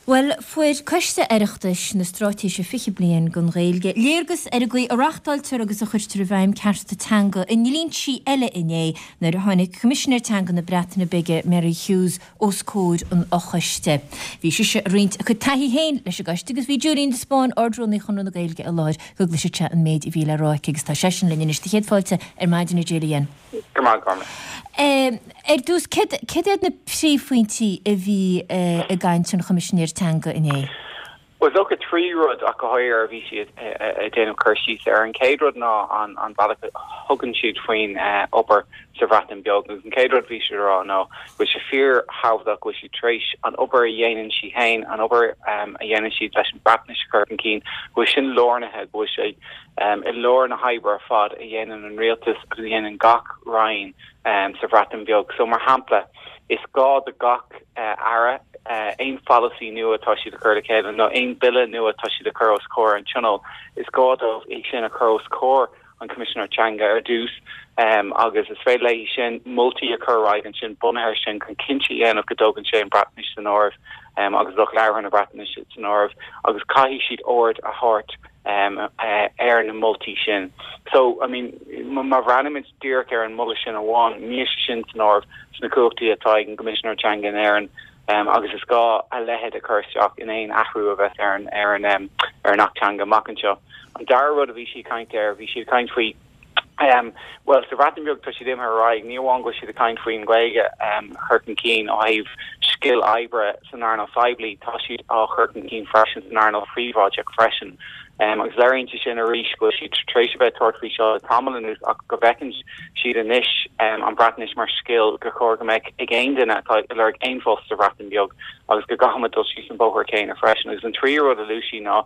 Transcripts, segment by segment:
Bhuel, fuair Coiste Oireachtais na Straitéise 20 Bliain don Ghaeilge léargas ar an gcaoi a reachtáiltear agus a chuirtear i bhfeidhm cearta teanga i ndlínsí eile inné nuair a tháinig Coimisinéir Teanga na Breataine Bige, Meri Huws, os comhair an fhochoiste. Bhí sise ag roinnt a cuid taithí féin leis an gcoiste agus bhí Julian de Spáinn, Ard-Rúnaí Chonradh na Gaeilge i láthair go gcloisfeadh sé an méid a bhí le rá aici agus tá seisean linn anois. Do chéad fáilte ar maidin, a Julian. Go raibh maith agat, Cormac. Ar dtús, céard iad na príomhphointí a bhí i gcaint an Choimisinéir Teanga inné? Bhuel, is dócha 3 rud ach go háirithe a bhí siad ag déanamh cur síos air. An chéad rud ná an bealach a thugann siad faoin obair sa Bhreatain Bheag agus an chéad rud a bhí siad a rá ná go bhfuil sé fíorthábhachtach go bhfuil siad tar éis an obair a dhéanann sí féin, an obair a dhéanann siad leis an Bhreatnais a chur chun cinn, go bhfuil sin lárnaithe, go bhfuil sé i lár na hoibre ar fad a dhéanann an rialtas agus a dhéanann gach roinn sa Bhreatain Bheag. So, mar shampla, is gá do gach aire aon pholasaí nua atá siad a chur le chéile nó aon bille nua atá siad a chur os comhair an Tionóil, is gá dóibh é sin a chur os comhair an Choimisinéir Teanga ar dtús agus is féidir léi sin moltaí a chur ar aghaidh ansin bunaithe air sin chun cinnte a dhéanamh go dtógann sé an Bhreatnais san áireamh agus lucht labhartha na Breatnaise san áireamh agus caithfidh siad aird a thabhairt ar na moltaí sin. So, I mean, má bhreathnaímid díreach ar an moladh sin amháin, níl sé sin san áireamh sna cumhachtaí atá ag an gCoimisinéir Teanga in Éirinn agus is gá a leithéid a chur isteach in aon athrú a bheas ar an ar an ar an Acht Teanga amach anseo. An dara rud a bhí sí ag caint air, bhí sí ag caint faoi Bhuel, sa Bhreatain Bheag tá siad imithe ar aghaidh, ní amháin go bhfuil siad ag caint faoin Ghaeilge a chur chun cinn ó thaobh scil oibre san earnáil phoiblí, tá siad á chur chun cinn freisin san earnáil phríobháideach freisin. Agus léiríonn sé sin arís go bhfuil siad tar éis a bheith ag tabhairt faoi seo le tamall anuas ach go bhfeiceann siad anois an Bhreatnais mar scil gur chóir go mbeadh ag aon duine atá ag lorg aon phost sa Bhreatain Bheag agus go gcaithfimid dul síos an bóthar céanna freisin. Agus an tríú rud a luaigh sí ná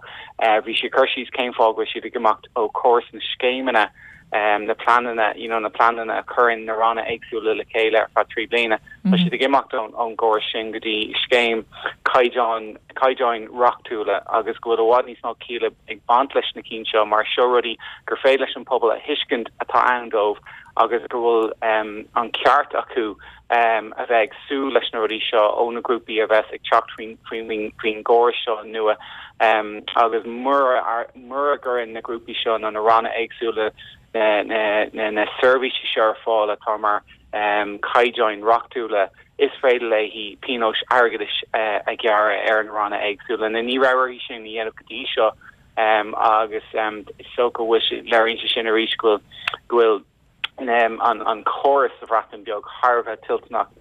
bhí sí ag cur síos cén fáth go bhfuil siad ag imeacht ó chóras na scéimeanna, na pleananna, you know, na pleananna a chuireann na ranna éagsúla le chéile ar feadh 3 bliana. Tá siad ag imeacht ón gcóras sin go dtí scéim caighdeán, caighdeáin reachtúla agus go bhfuil i bhfad níos mó cialla ag baint leis na cinn seo mar seo rudaí gur féidir leis an pobal a thuiscint atá ann dóibh agus go bhfuil an ceart acu a bheith ag súil leis na rudaí seo ó na grúpaí a bheas ag teacht faoin gcóras seo nua agus mura mura gcuireann na grúpaí seo nó na ranna éagsúla na seirbhísí seo ar fáil atá mar chaighdeáin reachtúla, is féidir léi pionóis airgeadais a ghearradh ar na ranna éagsúla. Ní raibh uirthi sin a dhéanamh go dtí seo agus is dócha go bhfuil sé, léiríonn sé sin arís go bhfuil an córas sa Bhreatain Bheag thar a bheith toilteanach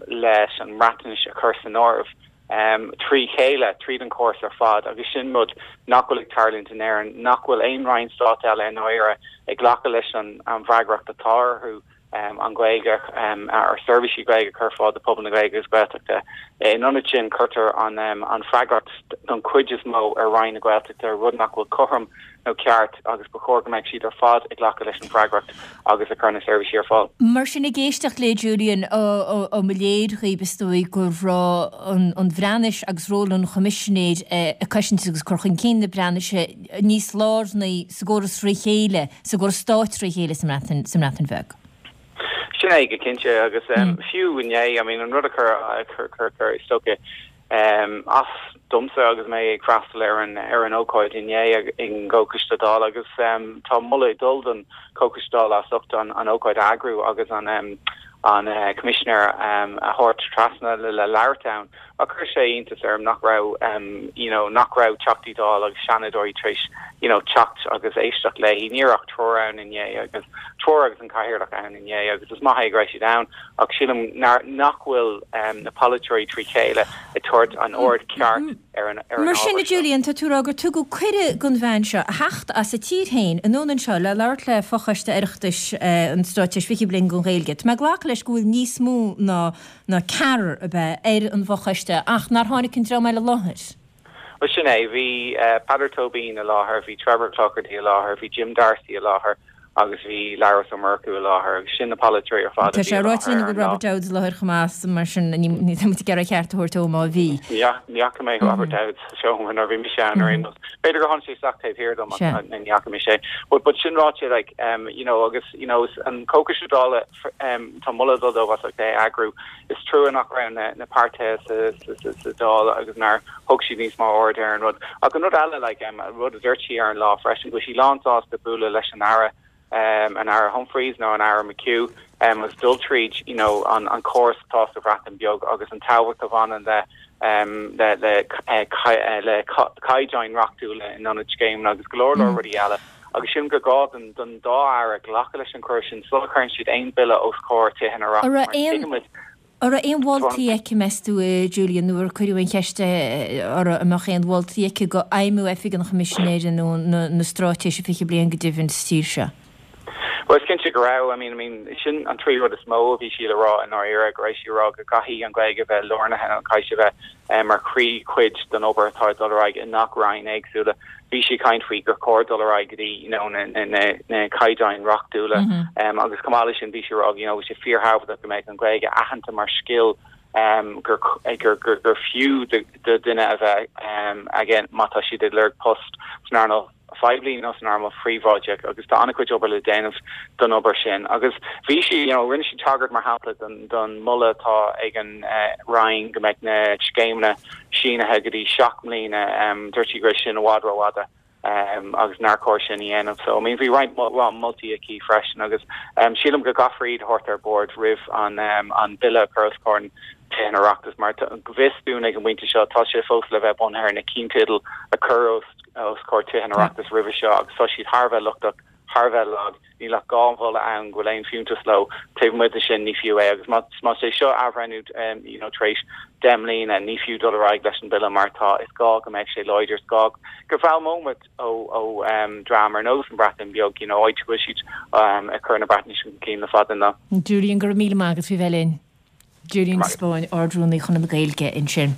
leis an mBreatnais a chur san áireamh trí chéile, tríd an chóras ar fad, agus sin rud nach bhfuil ag tarlúint in Éirinn, nach bhfuil aon roinn stáit eile i ndáiríre ag glacadh leis an bhfreagracht atá orthu an Ghaeilge, ar seirbhísí Gaeilge a chur ar fáil do phobal na Gaeilge agus Gaeltachta. In ionad sin, cuirtear an fhreagracht don chuid is mó ar Roinn na Gaeltachta, rud nach bhfuil cothrom nó ceart agus ba chóir go mbeadh siad ar fad ag glacadh leis an bhfreagracht agus ag cur na seirbhísí ar fáil. Mar sin, ag éisteacht le Julian, ó mo léir dhaoib, is dóigh go raibh an Bhreatnais agus ról an Choimisinéir ag cosaint agus cur chun cinn na Breatnaise níos lárnaí sa gcóras thrí chéile, sa gcóras stáit thrí chéile sa mBreatain Bheag. Sin é go cinnte agus fiú inné, I mean, an rud a chuir, chuir, chuir, is dócha, as domsa agus mé ag freastal ar an ar an ócáid inné ag an gComhchoiste Dála agus tá moladh ag dul don Chomhchoiste Dála as ucht an an ócáid a eagrú agus an an Coimisinéir a thabhairt trasna le le labhairt ann. Ach chuir sé iontas orm nach raibh you know nach raibh Teachtaí Dála agus Seanadóirí tar éis you know teacht agus éisteacht léi. Ní raibh ach triúr ann inné agus triúr agus an Cathaoirleach ann inné agus is maith é go raibh siad ann ach sílim nach bhfuil na polaiteoirí trí chéile ag tabhairt an aird ceart ar an Mar sin, ábhar a seo. Julian, tá tú ag rá gur tugadh cuireadh don bhean seo a theacht as a tír féin anonn anseo le labhairt le Fochoiste Oireachtais an Straitéis 20 Bliain don Ghaeilge. Tá mé ag glacadh leis go bhfuil níos mó ná ná ceathrar ab ea ar an bhfochoiste ach nár tháinig an dream eile i láthair. Bhuel, sin é. Bhí Peadar Tóibín i láthair, bhí Trevor Cloherty i láthair, bhí Jim D'Arcy i láthair. Agus bhí Labhrás Ó Murchú i láthair agus sin na polaiteoirí ar fad a Tá bhí sé i ráite láthair linn go ar bhfuil an lá. Robert Dowds i láthair chomh maith mar sin ní tá muid ag iarraidh a cheart a thabhairt dó má bhí. Ní fhaca mé Robert Dowds sa seomra nuair a bhí mise ann ar aon nós. B'fhéidir gur tháinig sé isteach taobh thiar dom ach ní fhaca mise é. But but sin ráite like you know agus you know an Comhchoiste Dála tá moladh ag dul dóibh as ucht é a eagrú. Is trua nach raibh na na páirtithe sa sa sa Dáil agus nár thug siad níos mó aird ar an rud. Ach an rud eile like an rud a dúirt sí ar an lá freisin go bhfuil sí lánsásta bualadh leis an Aire an Aire Humphreys nó an Aire McHugh agus dul tríd you know an an córas atá sa Bhreatain Bheag agus an tábhacht a bhaineann le le le le caighdeáin reachtúla in ionad scéimeanna agus go leor leor rudaí eile. Agus sílim gur gá don don dá Aire glacadh leis an cuireadh sin sula chuireann siad aon bille os comhair Tithe an An Oireachtais raibh mar aon tuigimid An raibh aon mholtaí aici, meas tú, a Julian, nuair a cuireadh an cheist uirthi an mbeadh aon mholtaí aici do fheidhmiú Oifig an Choimisinéara nó na Straitéise 20 Bliain go deimhin sa tír seo? Bhuel, is cinnte go raibh. I mean, I mean, sin an trí rud is mó a bhí sí le rá i ndáiríre, go raibh sí ag rá go gcaithfidh an Ghaeilge a bheith lárnaithe, an caithfidh sé a bheith mar chroí chuid den obair atá ag dul ar aghaidh i ngach roinn éagsúla. Bhí sí ag caint faoi gur chóir dul ar aghaidh go dtí, you know, na, na, na, na caighdeáin reachtúla. Agus chomh maith leis sin, bhí sí ag rá, you know, bhí sé fíorthábhachtach go mbeadh an Ghaeilge aitheanta mar scil gur, gur, gur, gur fiú do, do dhuine a bheith aige má tá siad ag lorg post san earnáil phoiblí nó san earnáil phríobháideach agus tá an-chuid obair le déanamh don obair sin. Agus bhí sí, you know, rinne sí tagairt mar shampla don, don moladh atá ag an Roinn go mbeadh na scéimeanna sínithe go dtí 7 mbliana, dúirt sí go raibh sin i bhfad rófhada agus nár chóir sin a dhéanamh. So, I mean, bhí roinnt moltaí aici freisin agus sílim go gcaithfear iad a thabhairt ar bord roimh an, an Bille a chur os comhair Tithe an Oireachtais mar go bhfios dúinn ag an bpointe seo tá sé fós le bheith bunaithe ar na cinnteidil a cuireadh os os comhair Tithe an Oireachtais roimhe seo agus tá siad thar a bheith lochtach, thar a bheith lag, níl ach 2 mholadh ann go bhfuil aon fiúntas leo, taobh amuigh de sin ní fiú é agus más é seo athbhreithniú you know tar éis 10 mbliana ní fiú dul ar aghaidh leis an bille mar atá, is gá go mbeidh sé láidir, is gá go bhfoghlaimeoidh muid ó ó dream ar nós an Bhreatain Bheag you know áit go bhfuil siad ag cur na Breatnaise chun cinn le fada an lá. Julian, go raibh míle maith agat faoi bheith linn. Julian de Spáinn, Ard-Rúnaí Chonradh na Gaeilge ansin.